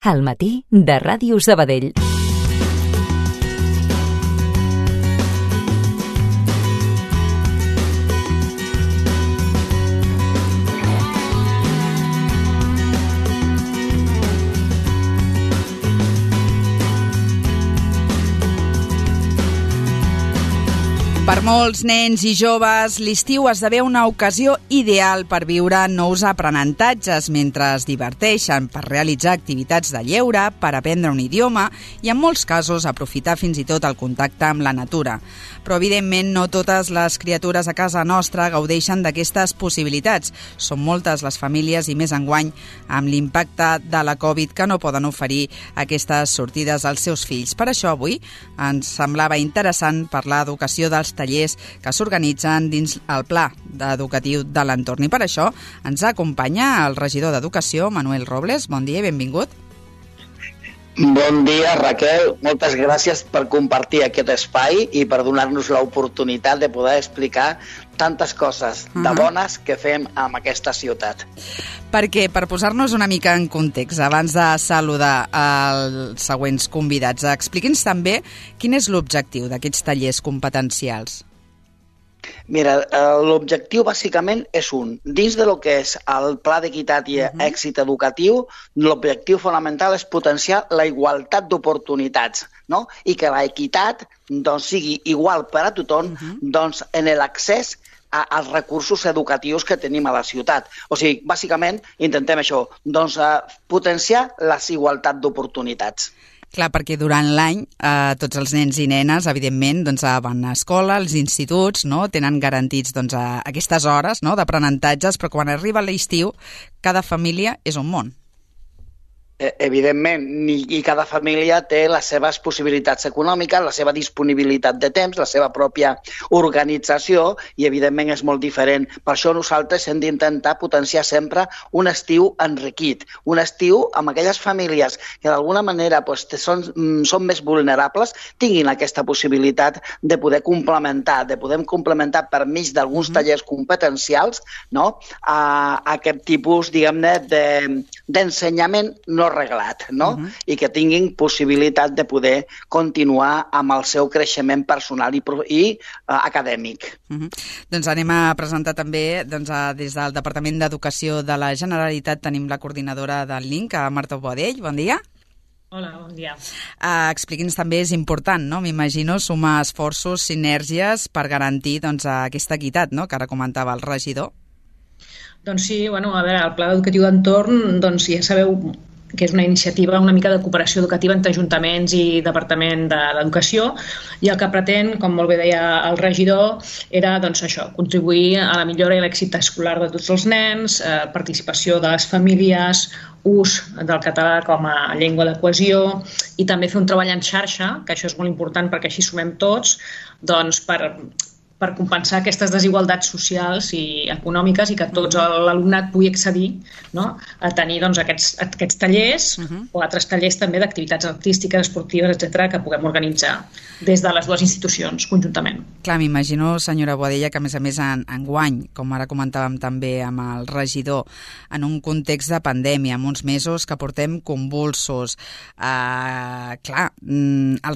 Al matí de Ràdio Sabadell. Per molts nens i joves, l'estiu esdevé una ocasió ideal per viure nous aprenentatges mentre es diverteixen, per realitzar activitats de lleure, per aprendre un idioma i, en molts casos, aprofitar fins i tot el contacte amb la natura. Però, evidentment, no totes les criatures a casa nostra gaudeixen d'aquestes possibilitats. Són moltes les famílies i més enguany amb l'impacte de la Covid que no poden oferir aquestes sortides als seus fills. Per això, avui ens semblava interessant parlar d'educació dels tallers que s'organitzen dins el pla educatiu de l'entorn. I per això ens acompanya el regidor d'Educació, Manuel Robles. Bon dia i benvingut. Bon dia, Raquel. Moltes gràcies per compartir aquest espai i per donar-nos l'oportunitat de poder explicar tantes coses de bones que fem en aquesta ciutat. Perquè, per posar-nos una mica en context, abans de saludar els següents convidats, expliqui'ns també quin és l'objectiu d'aquests tallers competencials. Mira, l'objectiu bàsicament és un. Dins de lo que és el pla d'equitat i èxit educatiu, l'objectiu fonamental és potenciar la igualtat d'oportunitats, no? I que l'equitat sigui igual per a tothom en l'accés als recursos educatius que tenim a la ciutat. O sigui, bàsicament intentem això, potenciar la igualtat d'oportunitats. Clar, perquè durant l'any tots els nens i nenes, evidentment, van a escola, als instituts, tenen garantits aquestes hores d'aprenentatges, però quan arriba l'estiu, cada família és un món. Evidentment, i cada família té les seves possibilitats econòmiques, la seva disponibilitat de temps, la seva pròpia organització i, evidentment, és molt diferent. Per això nosaltres hem d'intentar potenciar sempre un estiu enriquit, un estiu amb aquelles famílies que d'alguna manera són més vulnerables, tinguin aquesta possibilitat de poder complementar per mig d'alguns tallers competencials aquest tipus, diguem-ne, d'ensenyament no reglat, i que tinguin possibilitat de poder continuar amb el seu creixement personal i acadèmic. Doncs anem a presentar també, des del Departament d'Educació de la Generalitat, tenim la coordinadora del LINC, Marta Boadell. Bon dia. Hola, bon dia. Expliqui'ns també, és important, m'imagino, sumar esforços, sinergies per garantir aquesta equitat, que ara comentava el regidor. Doncs sí, a veure, el Pla Educatiu d'Entorn, ja sabeu que és una iniciativa una mica de cooperació educativa entre ajuntaments i Departament d'Educació, i el que pretén, com molt bé deia el regidor, era això, contribuir a la millora i l'èxit escolar de tots els nens, participació de les famílies, ús del català com a llengua de cohesió i també fer un treball en xarxa, que això és molt important perquè així sumem tots, per compensar aquestes desigualtats socials i econòmiques i que tots l'alumnat pugui accedir a tenir aquests tallers o altres tallers també d'activitats artístiques, esportives, etc., que puguem organitzar des de les dues institucions conjuntament. Clar, m'imagino, senyora Boadella, que a més enguany, com ara comentàvem també amb el regidor, en un context de pandèmia, en uns mesos que portem convulsos, el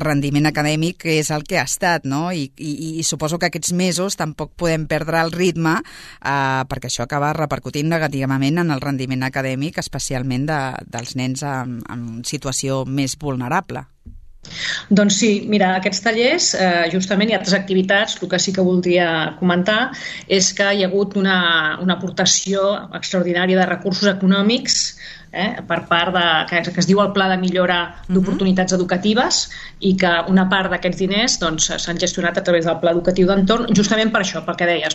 rendiment acadèmic és el que ha estat, i suposo que aquests mesos tampoc podem perdre el ritme perquè això acaba repercutint negativament en el rendiment acadèmic, especialment dels nens en situació més vulnerable. Doncs sí, mira, aquests tallers, justament, i altres activitats, el que sí que voldria comentar és que hi ha hagut una aportació extraordinària de recursos econòmics per part que es diu el Pla de Millora d'Oportunitats Educatives, i que una part d'aquests diners s'han gestionat a través del Pla Educatiu d'Entorn, justament per això, pel que deies,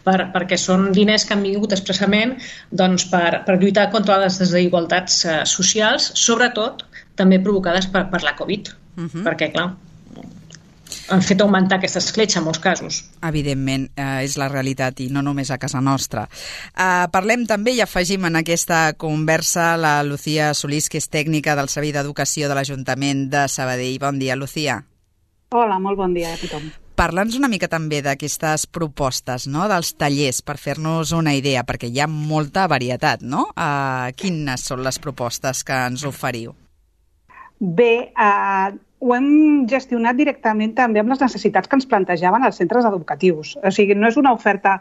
perquè són diners que han vingut expressament per lluitar contra les desigualtats socials, sobretot també provocades per la Covid, perquè, clar, han fet augmentar aquesta escletxa en molts casos. Evidentment, és la realitat i no només a casa nostra. Parlem també i afegim en aquesta conversa la Lucía Solís, que és tècnica del Servei d'Educació de l'Ajuntament de Sabadell. Bon dia, Lucía. Hola, molt bon dia a tothom. Parla'ns una mica també d'aquestes propostes, dels tallers, per fer-nos una idea, perquè hi ha molta varietat, Quines són les propostes que ens oferiu? Bé, ho hem gestionat directament també amb les necessitats que ens plantejaven els centres educatius. O sigui, no és una oferta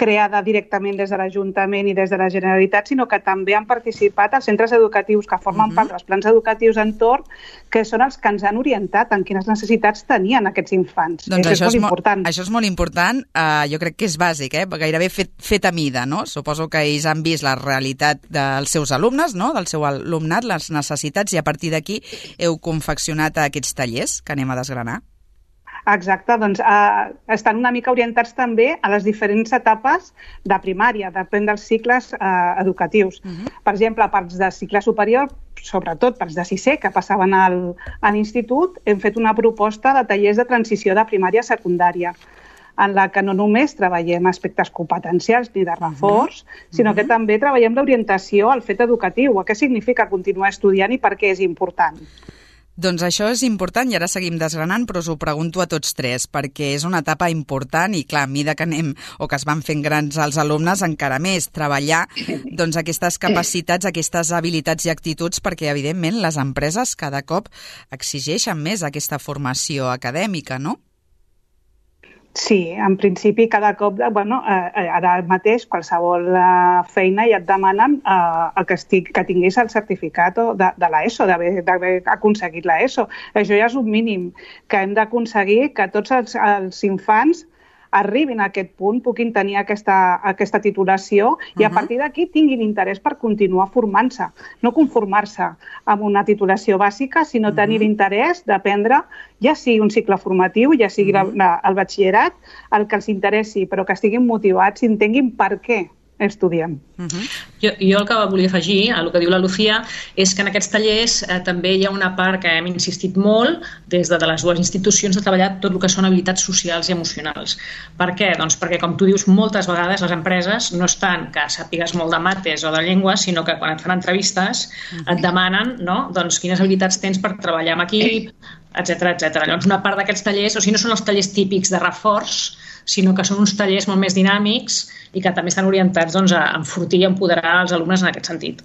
creada directament des de l'Ajuntament i des de la Generalitat, sinó que també han participat els centres educatius que formen part dels plans educatius entorn, que són els que ens han orientat en quines necessitats tenien aquests infants. Doncs això és molt important. Això és molt important. Jo crec que és bàsic, gairebé fet a mida, no? Suposo que ells han vist la realitat dels seus alumnes, no? Del seu alumnat, les necessitats, i a partir d'aquí heu confeccionat aquests tallers que anem a desgranar. Exacte, doncs estan una mica orientats també a les diferents etapes de primària, depèn dels cicles educatius. Per exemple, parts de cicle superior, sobretot parts de sisè, que passaven a l'institut, hem fet una proposta de tallers de transició de primària a secundària, en la que no només treballem aspectes competencials ni de reforç, sinó que també treballem l'orientació al fet educatiu, a què significa continuar estudiant i per què és important. Doncs això és important i ara seguim desgranant, però us ho pregunto a tots tres, perquè és una etapa important i, clar, a mesura que anem o que es van fent grans els alumnes, encara més treballar doncs, aquestes capacitats, aquestes habilitats i actituds, perquè, evidentment, les empreses cada cop exigeixen més aquesta formació acadèmica, no? Sí, en principi cada cop, ara mateix qualsevol feina ja et demanen que tinguis el certificat de l'ESO, d'haver aconseguit l'ESO. Això ja és un mínim, que hem d'aconseguir que tots els infants arribin a aquest punt, puguin tenir aquesta titulació i a partir d'aquí tinguin interès per continuar formant-se. No conformar-se amb una titulació bàsica, sinó tenir interès d'aprendre, ja sigui un cicle formatiu, ja sigui el batxillerat, el que els interessi, però que estiguin motivats i entenguin per què estudiem. Jo el que volia afegir a el que diu la Lucía és que en aquests tallers també hi ha una part que hem insistit molt des de les dues institucions de treballar tot el que són habilitats socials i emocionals. Per què? Doncs perquè, com tu dius, moltes vegades les empreses no és tant que sàpigues molt de mates o de llengües, sinó que quan et fan entrevistes et demanen, no? Doncs quines habilitats tens per treballar en equip, etc. Llavors, una part d'aquests tallers, o sigui, no són els tallers típics de reforç, sinó que són uns tallers molt més dinàmics i que també estan orientats a enfortir i empoderar els alumnes en aquest sentit.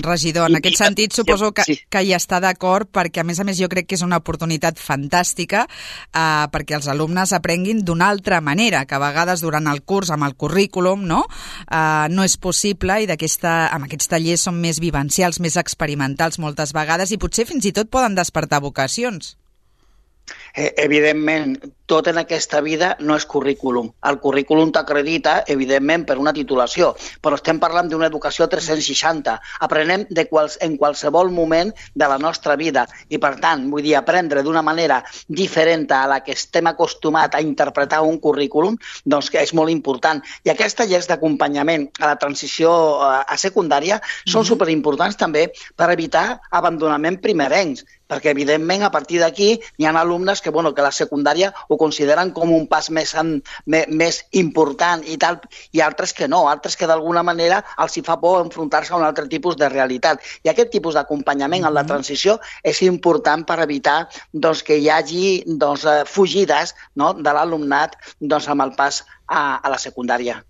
Regidor, en aquest sentit suposo que hi està d'acord, perquè a més jo crec que és una oportunitat fantàstica perquè els alumnes aprenguin d'una altra manera, que a vegades durant el curs, amb el currículum, no és possible, i amb aquests tallers són més vivencials, més experimentals moltes vegades, i potser fins i tot poden despertar vocacions. Evidentment, tot en aquesta vida no és currículum. El currículum t'acredita, evidentment, per una titulació, però estem parlant d'una educació 360. Aprenem en qualsevol moment de la nostra vida i, per tant, vull dir, aprendre d'una manera diferent a la que estem acostumats a interpretar un currículum, doncs que és molt important. I aquests tallers d'acompanyament a la transició a secundària són superimportants també per evitar abandonament primerencs, perquè, evidentment, a partir d'aquí hi ha alumnes que la secundària ho consideren com un pas més important i tal, i altres que no, altres que d'alguna manera els hi fa por enfrontar-se a un altre tipus de realitat. I aquest tipus d'acompanyament en la transició és important per evitar que hi hagi fugides de l'alumnat amb el pas a la secundària.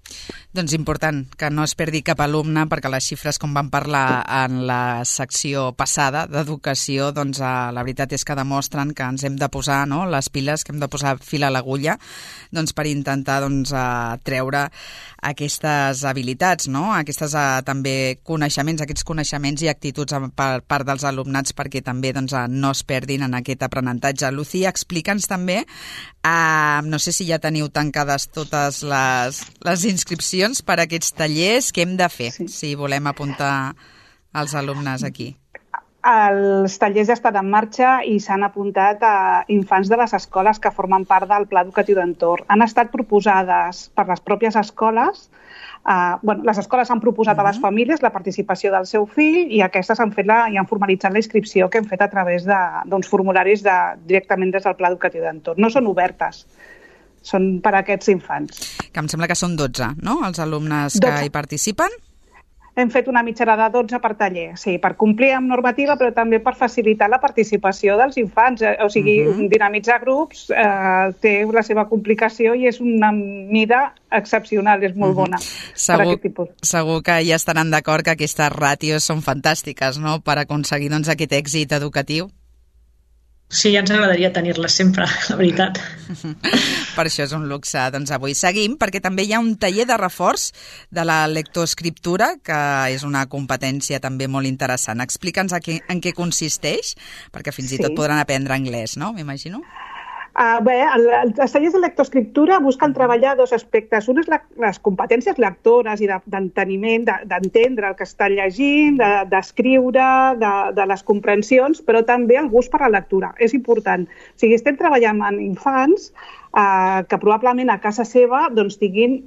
Doncs important que no es perdi cap alumne, perquè les xifres, com vam parlar en la secció passada d'educació, la veritat és que demostren que ens hem de posar les piles, que hem de posar fil a l'agulla per intentar treure aquestes habilitats, aquestes també coneixements, aquests coneixements i actituds per part dels alumnats, perquè també no es perdin en aquest aprenentatge. Lucía, explica'ns també, no sé si ja teniu tancades totes les inscripcions per a aquests tallers, què hem de fer si volem apuntar els alumnes aquí? Els tallers ja estan en marxa i s'han apuntat a infants de les escoles que formen part del Pla Educatiu d'Entorn. Han estat proposades per les pròpies escoles. Les escoles han proposat a les famílies la participació del seu fill i aquestes han formalitzat la inscripció que hem fet a través d'uns formularis directament des del Pla Educatiu d'Entorn. No són obertes, són per a aquests infants. Que em sembla que són 12, no?, els alumnes que hi participen? hem fet una mitjana de 12 per taller, sí, per complir amb normativa, però també per facilitar la participació dels infants. O sigui, dinamitzar grups té la seva complicació i és una mida excepcional, és molt bona per aquest tipus. Segur que ja estaran d'acord que aquestes ràtios són fantàstiques, no?, per aconseguir aquest èxit educatiu. Sí, ja ens agradaria tenir-les sempre, la veritat. Per això és un luxe. Doncs avui seguim, perquè també hi ha un taller de reforç de la lectoescriptura, que és una competència també molt interessant. Explica'ns en què consisteix, perquè fins i tot podran aprendre anglès, no?, m'imagino. Bé, els tallers de lectoescriptura busquen treballar dos aspectes. Un és les competències lectores i d'enteniment, d'entendre el que està llegint, d'escriure, de les comprensions, però també el gust per la lectura. És important. O sigui, estem treballant amb infants que probablement a casa seva doncs, tinguin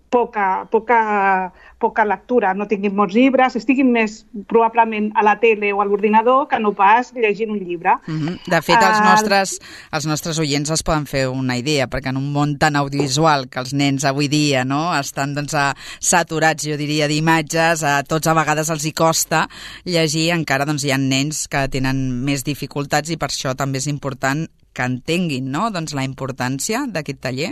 poca lectura, no tinguin molts llibres, estiguin més probablement a la tele o a l'ordinador que no pas llegint un llibre. De fet, els nostres oients es poden fer una idea, perquè en un món tan audiovisual que els nens avui dia estan saturats, jo diria, d'imatges, a tots a vegades els hi costa llegir, encara hi ha nens que tenen més dificultats i per això també és important que entenguin la importància d'aquest taller.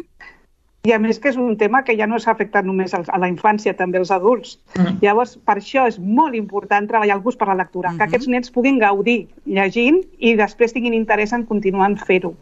I a més que és un tema que ja no s'ha afectat només a la infància, també als adults. Llavors, per això és molt important treballar el gust per la lectura, que aquests nens puguin gaudir llegint i després tinguin interès en continuar en fer-ho.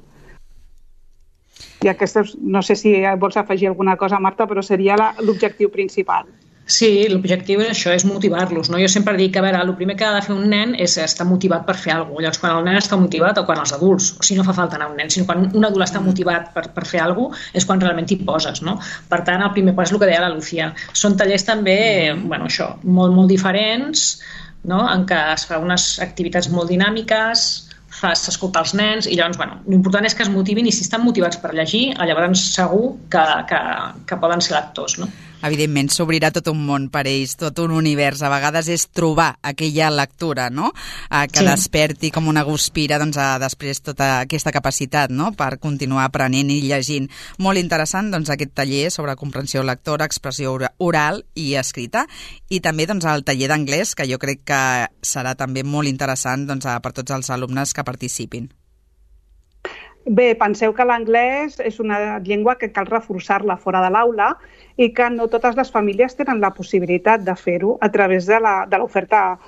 I aquesta, no sé si vols afegir alguna cosa, Marta, però seria l'objectiu principal. Sí, l'objectiu és això, és motivar-los, no? Jo sempre dic que, a veure, el primer que ha de fer un nen és estar motivat per fer alguna cosa. Llavors, quan el nen està motivat, o quan els adults, o sigui, no fa falta anar a un nen, sinó quan un adult està motivat per fer alguna cosa, és quan realment t'hi poses, no? Per tant, el primer pas és el que deia la Lucía. Són tallers també, bueno, això, molt diferents, no?, en què es fa unes activitats molt dinàmiques, fas escoltar els nens i llavors, bueno, l'important és que es motivin i si estan motivats per llegir, llavors segur que poden ser lectors, no? Evidentment, s'obrirà tot un món per ells, tot un univers. A vegades és trobar aquella lectura, no?, que desperti com una guspira després tota aquesta capacitat, no?, per continuar aprenent i llegint. Molt interessant, aquest taller sobre comprensió lectora, expressió oral i escrita, i també el taller d'anglès, que jo crec que serà també molt interessant per tots els alumnes que participin. Bé, penseu que l'anglès és una llengua que cal reforçar-la fora de l'aula i que no totes les famílies tenen la possibilitat de fer-ho a través de l'oferta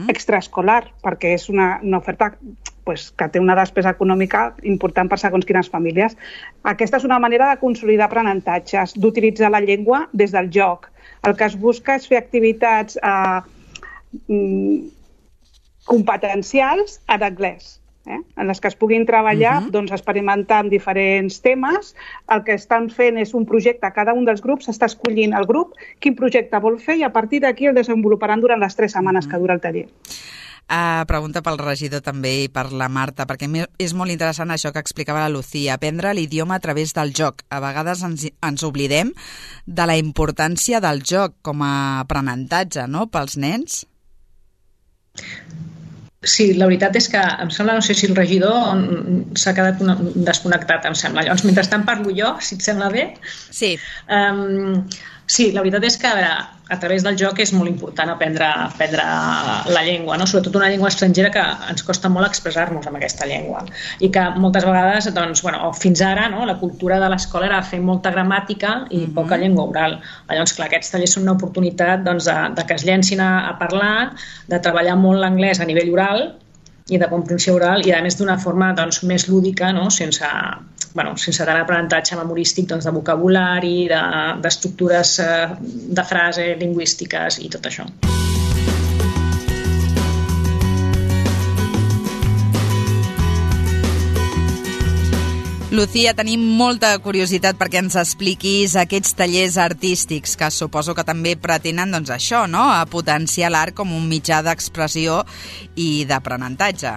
extraescolar, perquè és una oferta que té una despesa econòmica important per segons quines famílies. Aquesta és una manera de consolidar aprenentatges, d'utilitzar la llengua des del joc. El que es busca és fer activitats competencials en anglès, en les que es puguin treballar, experimentar amb diferents temes. El que estan fent és un projecte, cada un dels grups està escollint el grup, quin projecte vol fer i a partir d'aquí el desenvoluparan durant les 3 setmanes que dura el taller. Pregunta pel regidor també i per la Marta, perquè és molt interessant això que explicava la Lucía, aprendre l'idioma a través del joc. A vegades ens oblidem de la importància del joc com a aprenentatge, no?, pels nens. Sí, la veritat és que em sembla, no sé si el regidor s'ha quedat desconnectat, em sembla. Llavors, mentrestant parlo jo, si et sembla bé. Sí. Sí, la veritat és que a través del joc és molt important aprendre la llengua, no? Sobretot una llengua estrangera que ens costa molt expressar-nos amb aquesta llengua i que moltes vegades, fins ara, no?, la cultura de l'escola era fer molta gramàtica i poca llengua oral. Llavors, clar, aquests tallers són una oportunitat de que es llencin a parlar, de treballar molt l'anglès a nivell oral i de comprensió oral i a més d'una forma més lúdica, no?, sense tant aprenentatge memorístic de vocabulari, d'estructures de frase lingüístiques i tot això. Lucía, tenim molta curiositat perquè ens expliquis aquests tallers artístics que suposo que també pretenen, això, no?, a potenciar l'art com un mitjà d'expressió i d'aprenentatge.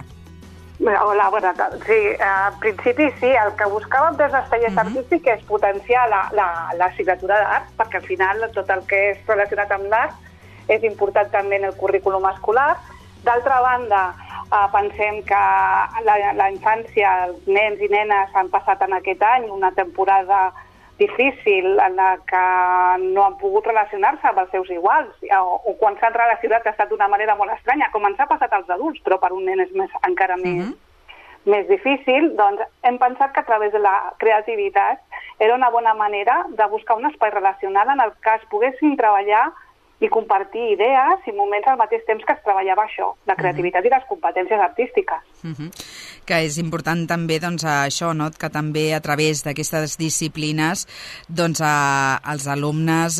Hola, bona tarda. Sí, en principi sí, el que buscàvem des dels tallers artístics és potenciar l'assignatura d'art, perquè al final tot el que és relacionat amb l'art és important també en el currículum escolar. D'altra banda, pensem que la infància, els nens i nenes han passat en aquest any una temporada difícil, en la que no han pogut relacionar-se amb els seus iguals, o quan s'han relacionat ha estat d'una manera molt estranya, com ens ha passat als adults, però per un nen és encara més difícil, doncs hem pensat que a través de la creativitat era una bona manera de buscar un espai relacional en el que es poguessin treballar i compartir idees i moments al mateix temps que es treballava això, la creativitat i les competències artístiques. Que és important també doncs, això, no? Que també a través d'aquestes disciplines doncs, els alumnes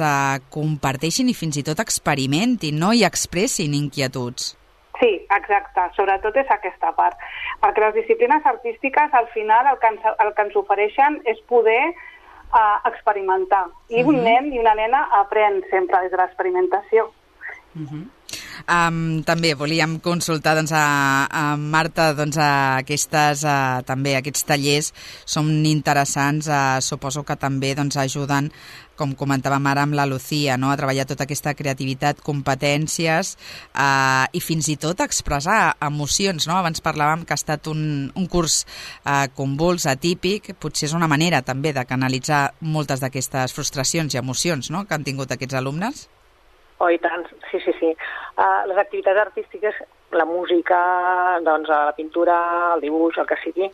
comparteixin i fins i tot experimentin, no? I expressin inquietuds. Sí, exacte, sobretot és aquesta part, perquè les disciplines artístiques al final el que ens ofereixen és poder experimentar, i un nen i una nena aprèn sempre des de l'experimentació. També volíem consultar doncs, a Marta, doncs, també aquests tallers són interessants, suposo que també doncs, ajuden, com comentàvem ara amb la Lucía, no? A treballar tota aquesta creativitat, competències i fins i tot expressar emocions, no? Abans parlàvem que ha estat un curs convuls, atípic, potser és una manera també de canalitzar moltes d'aquestes frustracions i emocions, no? Que han tingut aquests alumnes. Oh, i tant, sí. Les activitats artístiques, la música, doncs, la pintura, el dibuix, el que sigui,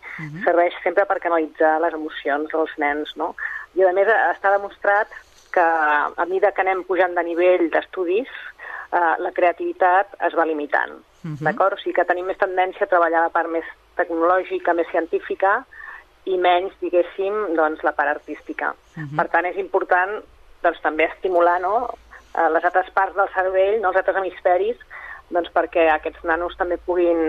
serveix sempre per canalitzar les emocions dels nens, no? I a més està demostrat que a mesura que anem pujant de nivell d'estudis, la creativitat es va limitant, d'acord? O sigui que tenim més tendència a treballar la part més tecnològica, més científica, i menys, diguéssim, doncs, la part artística. Per tant, és important doncs, també estimular, no?, les altres parts del cervell, no, els altres hemisferis, doncs perquè aquests nanos també puguin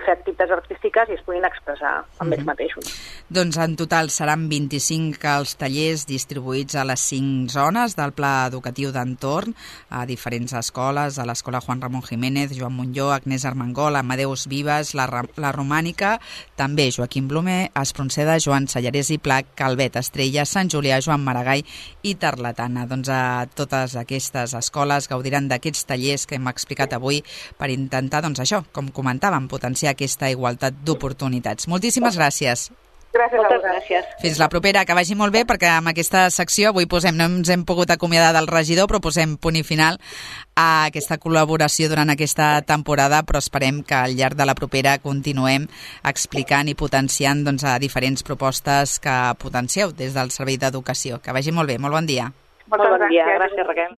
fer activitats artístiques i es puguin expressar amb ells mateixos. Doncs en total seran 25 els tallers distribuïts a les 5 zones del Pla Educatiu d'Entorn, a diferents escoles, a l'Escola Juan Ramón Jiménez, Joan Montllor, Agnès Armengol, Amadeus Vives, la Romànica, també Joaquim Blume, Espronceda, Joan Sallarès i Pla, Calvet, Estrella, Sant Julià, Joan Maragall i Tarlatana. Doncs a totes aquestes escoles gaudiran d'aquests tallers que hem explicat avui per intentar, doncs això, com comentàvem, potenciar aquesta igualtat d'oportunitats. Moltíssimes gràcies. Moltes gràcies. Fins la propera, que vagi molt bé, perquè amb aquesta secció avui no ens hem pogut acomiadar del regidor, però posem punt i final a aquesta col·laboració durant aquesta temporada, però esperem que al llarg de la propera continuem explicant i potenciant doncs, a diferents propostes que potencieu des del Servei d'Educació. Que vagi molt bé, molt bon dia. Molt bon dia, gràcies Raquel.